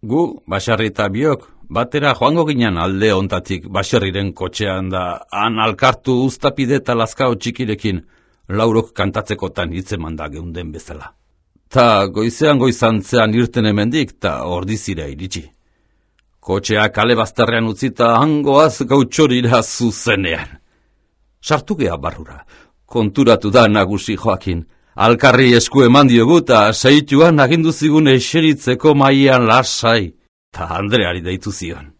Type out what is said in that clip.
Gu, Basarri eta biok, batera joango ginen alde ontatik Basarriren kotxean da, han alkartu uztapide eta lazkao txikirekin, laurok kantatzekotan hitzeman da geunden bezala. Ta goizean goizantzean irten hemendik, ta ordizira iritsi. Kotxea kale bazterrean utzita hangoaz gautxorira zuzenean. Sartu gea barrura, konturatu da nagusi Joakin. Alkarri esku eman diogu ta seituan agindu zigun eseritzeko maian lasai, ta Andreari deitu zion.